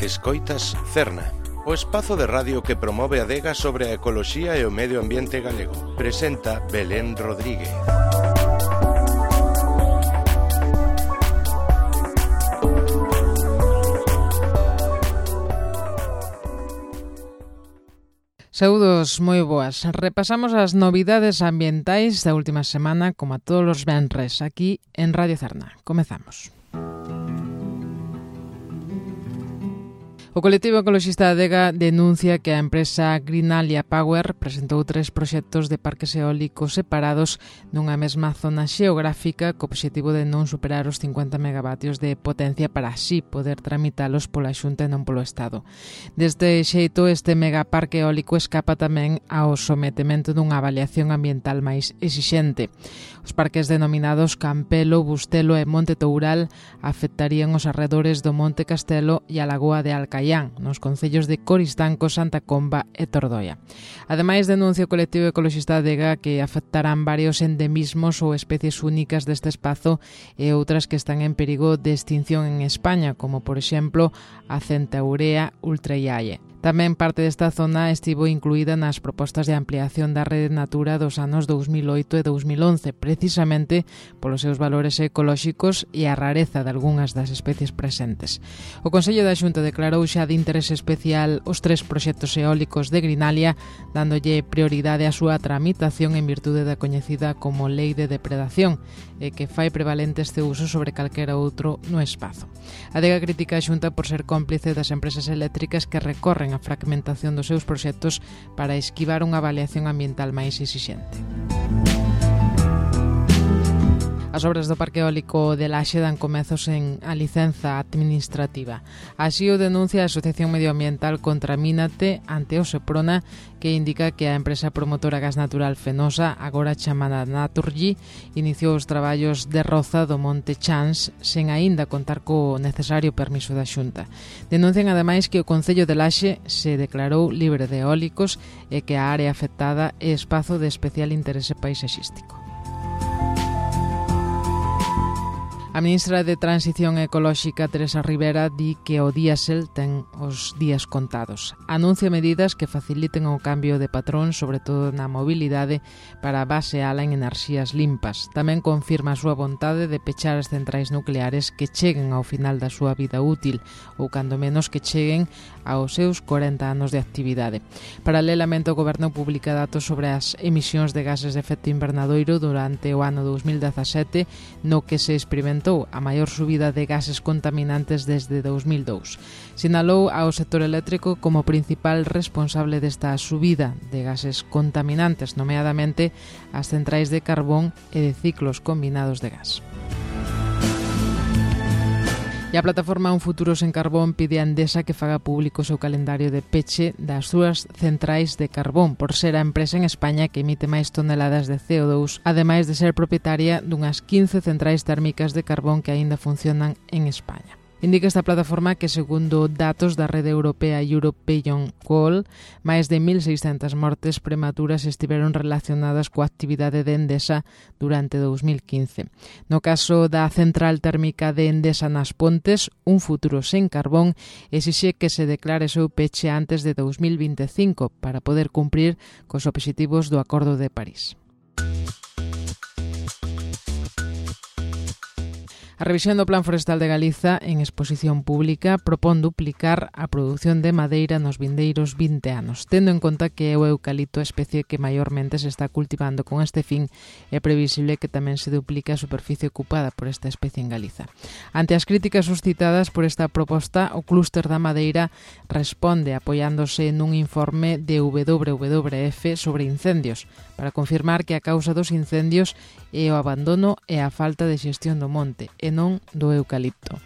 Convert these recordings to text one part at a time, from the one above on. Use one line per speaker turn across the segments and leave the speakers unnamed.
Escoitas Cerna, o espazo de radio que promove a adega sobre a ecoloxía e o medio ambiente galego. Presenta Belén Rodríguez.
Saúdos, moi boas. Repasamos as novidades ambientais da última semana, como a todos os venres, aquí en Radio Cerna. Comezamos. O colectivo ecoloxista Adega denuncia que a empresa Greenalia Power presentou 3 proxectos de parques eólicos separados nunha mesma zona xeográfica co obxectivo de non superar os 50 megavatios de potencia para así poder tramitalos pola Xunta e non polo Estado. Deste xeito, este megaparque eólico escapa tamén ao sometemento dunha avaliación ambiental máis exixente. Os parques denominados Campelo, Bustelo e Monte Toural afectarían os arredores do Monte Castelo e a Lagoa de Alcaián, nos concellos de Coristanco, Santa Comba e Tordoia. Ademais, denuncia o colectivo ecoloxista Adega que afectarán varios endemismos ou especies únicas deste espazo e outras que están en perigo de extinción en España, como por exemplo a Centaurea ultraiae. Tamén parte desta zona estivo incluída nas propostas de ampliación da rede Natura dos anos 2008 e 2011, precisamente polos seus valores ecolóxicos e a rareza de algunhas das especies presentes. O Consello da Xunta declarou xa de interese especial os 3 proxectos eólicos de Greenalia, dándolle prioridade á súa tramitación en virtude da coñecida como Lei de Depredación, e que fai prevalente este uso sobre calquera outro no espazo. Adega critica a Xunta por ser cómplice das empresas eléctricas que recorren a fragmentación dos seus proxectos para esquivar unha avaliación ambiental máis exixente. As obras do parque eólico de Laxe dan comezos en a licenza administrativa. Así o denuncia a Asociación Medioambiental Contramínate ante o Seprona, que indica que a empresa promotora Gas Natural Fenosa, agora chamada Naturgy, iniciou os traballos de roza do Monte Chans sen aínda contar co necesario permiso da Xunta. Denuncian ademais que o Concello de Laxe se declarou libre de eólicos e que a área afectada é espazo de especial interese paisaxístico. A ministra de Transición Ecolóxica, Teresa Rivera, di que o diésel ten os días contados. Anuncia medidas que faciliten o cambio de patrón, sobre todo na mobilidade, para baseala en enerxías limpas. Tamén confirma a súa vontade de pechar as centrais nucleares que cheguen ao final da súa vida útil, ou cando menos que cheguen aos seus 40 anos de actividade. Paralelamente, o Goberno publica datos sobre as emisións de gases de efecto invernadoiro durante o ano 2017, no que se experimentou a maior subida de gases contaminantes desde 2002. Sinalou ao sector eléctrico como principal responsable desta subida de gases contaminantes, nomeadamente as centrais de carbón e de ciclos combinados de gas. E a plataforma Un Futuro Sen Carbón pide a Endesa que faga público o seu calendario de peche das súas centrais de carbón, por ser a empresa en España que emite máis toneladas de CO2, ademais de ser propietaria dunhas 15 centrais térmicas de carbón que aínda funcionan en España. Indica esta plataforma que, segundo datos da rede europea European Coal, máis de 1.600 mortes prematuras estiveron relacionadas coa actividade de Endesa durante 2015. No caso da central térmica de Endesa nas Pontes, Un Futuro Sen Carbón exixe que se declare seu peche antes de 2025 para poder cumprir cos obxectivos do Acordo de París. A revisión do Plan Forestal de Galiza en exposición pública propón duplicar a produción de madeira nos vindeiros 20 anos, tendo en conta que é o eucalipto a especie que maiormente se está cultivando con este fin, é previsible que tamén se duplique a superficie ocupada por esta especie en Galiza. Ante as críticas suscitadas por esta proposta, o clúster da madeira responde apoiándose nun informe de WWF sobre incendios, para confirmar que a causa dos incendios é o abandono e a falta de xestión do monte, e non do eucalipto.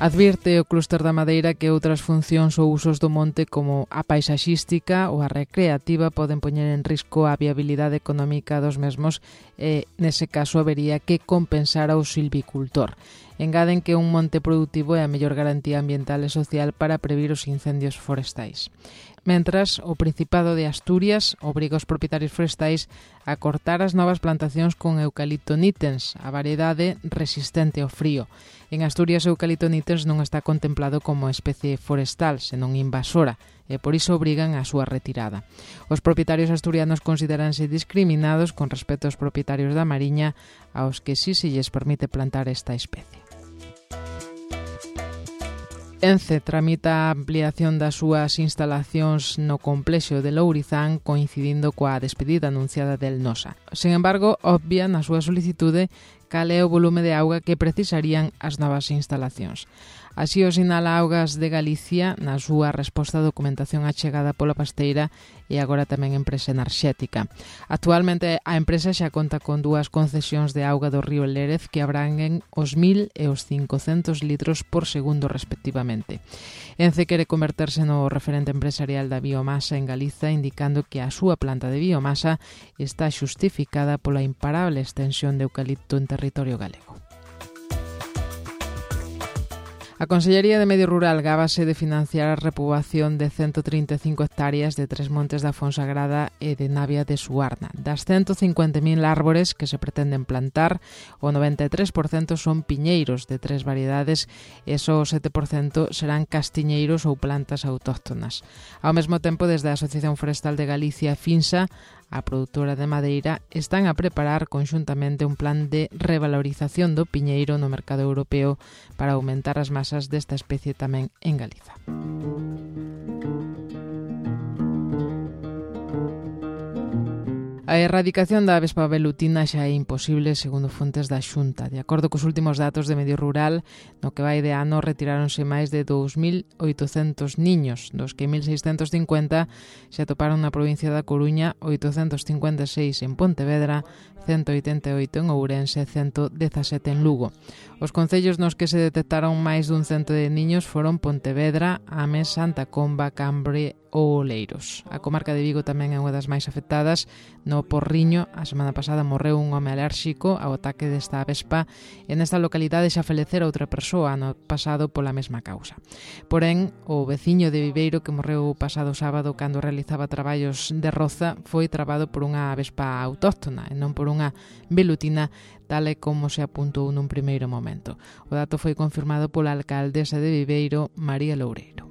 Advirte o clúster da madeira que outras funcións ou usos do monte como a paisaxística ou a recreativa poden poñer en risco a viabilidade económica dos mesmos e, nese caso, habería que compensar ao silvicultor. Engaden que un monte productivo é a mellor garantía ambiental e social para previr os incendios forestais. Mentras, o Principado de Asturias obriga os propietarios forestais a cortar as novas plantacións con eucalipto nitens, a variedade resistente ao frío. En Asturias, o eucalipto nitens non está contemplado como especie forestal, senón invasora, e por iso obrigan a súa retirada. Os propietarios asturianos consideranse discriminados con respecto aos propietarios da Mariña, aos que sí se lles permite plantar esta especie. Ence tramita a ampliación das súas instalacións no complexo de Lourizán coincidindo coa despedida anunciada del Nosa. Sen embargo, obvia na súa solicitude cal é o volume de auga que precisarían as novas instalacións. Así o sinala Augas de Galicia na súa resposta á documentación achegada pola pasteira e agora tamén empresa enerxética. Actualmente a empresa xa conta con 2 concesións de auga do río Lérez que abranguen os 1000 e os 500 litros por segundo respectivamente. Ence quere converterse no referente empresarial da biomasa en Galiza, indicando que a súa planta de biomasa está xustificada pola imparable extensión de eucalipto en territorio galego. A Consellería de Medio Rural gábase de financiar a repoboación de 135 hectáreas de Tres Montes da Fonsagrada e de Navia de Suarna. Das 150.000 árbores que se pretenden plantar, o 93% son piñeiros de 3 variedades e só o 7% serán castiñeiros ou plantas autóctonas. Ao mesmo tempo, desde a Asociación Forestal de Galicia, FINSA, a produtora de madeira, están a preparar conxuntamente un plan de revalorización do piñeiro no mercado europeo para aumentar as masas desta especie tamén en Galiza. A erradicación da avespa velutina xa é imposible segundo fontes da Xunta. De acordo cos últimos datos de Medio Rural, no que vai de ano retiráronse máis de 2.800 niños, dos que 1.650 se atoparon na provincia da Coruña, 856 en Pontevedra, 188 en Ourense e 117 en Lugo. Os concellos nos que se detectaron máis dun cento de niños foron Pontevedra, Ames, Santa Comba, Cambre ou Oleiros. A comarca de Vigo tamén é unha das máis afectadas. No Porriño, a semana pasada morreu un home alérxico ao ataque desta avespa e nesta localidade xa falecera outra persoa ano pasado pola mesma causa. Porén, o veciño de Viveiro que morreu o pasado sábado cando realizaba traballos de roza foi trabado por unha avespa autóctona e non por unha velutina, tal e como se apuntou nun primeiro momento. O dato foi confirmado pola alcaldesa de Viveiro, María Loureiro.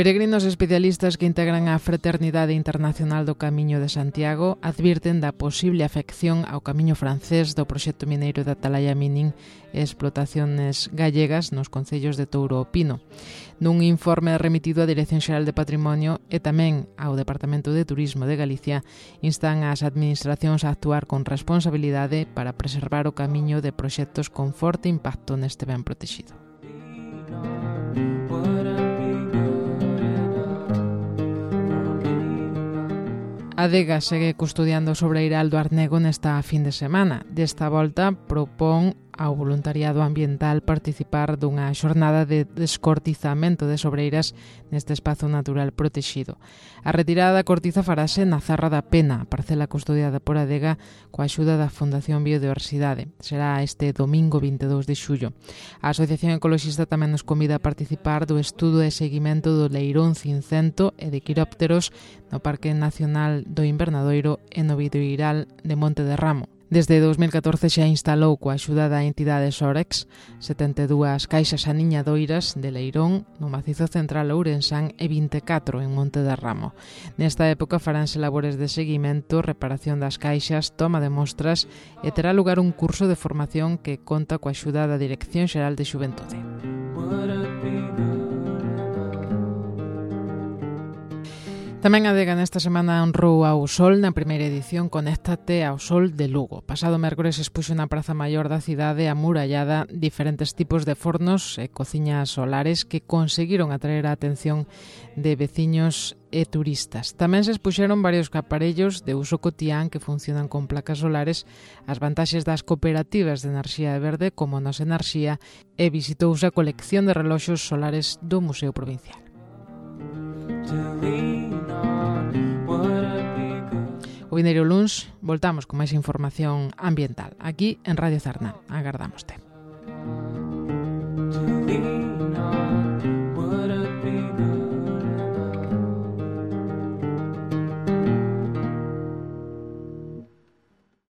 Peregrinos especialistas que integran a Fraternidade Internacional do Camiño de Santiago advirten da posible afección ao camiño francés do proxecto mineiro da Atalaya Mining e explotaciones gallegas nos concellos de Touro e Pino. Nun informe remitido á Dirección Xeral de Patrimonio e tamén ao Departamento de Turismo de Galicia, instan ás administracións a actuar con responsabilidade para preservar o camiño de proxectos con forte impacto neste ben protexido. A Adega segue custodiando o sobreiral do Arnego nesta fin de semana. Desta volta propón ao voluntariado ambiental participar dunha xornada de descortizamento de sobreiras neste espazo natural protexido. A retirada da cortiza farase na Zarra da Pena, parcela custodiada por Adega coa axuda da Fundación Biodiversidade. Será este domingo 22 de xullo. A Asociación Ecoloxista tamén nos convida a participar do estudo e seguimento do leirón cincento e de quirópteros no Parque Nacional do Invernadoiro e no Videoiral de Monte de Ramo. Desde 2014 xa instalou coa axuda da entidade Sorex 72 caixas aniñadoiras de leirón no macizo central ourensán e 24 en Monte de Ramo. Nesta época faránse labores de seguimento, reparación das caixas, toma de mostras e terá lugar un curso de formación que conta coa axuda da Dirección Xeral de Xuventude. Tamén a Adega nesta semana honrou ao Sol na primeira edición Conéctate ao Sol de Lugo. Pasado mércores expuxo na Praza Maior da cidade amurallada diferentes tipos de fornos e cociñas solares que conseguiron atraer a atención de veciños e turistas. Tamén se expuxeron varios aparellos de uso cotián que funcionan con placas solares, as vantaxes das cooperativas de enerxía verde como Nos Enerxía e visitouse a colección de reloxos solares do Museo Provincial. O vindeiro luns voltamos con máis información ambiental aquí en Radio Zarna. Agardámoste.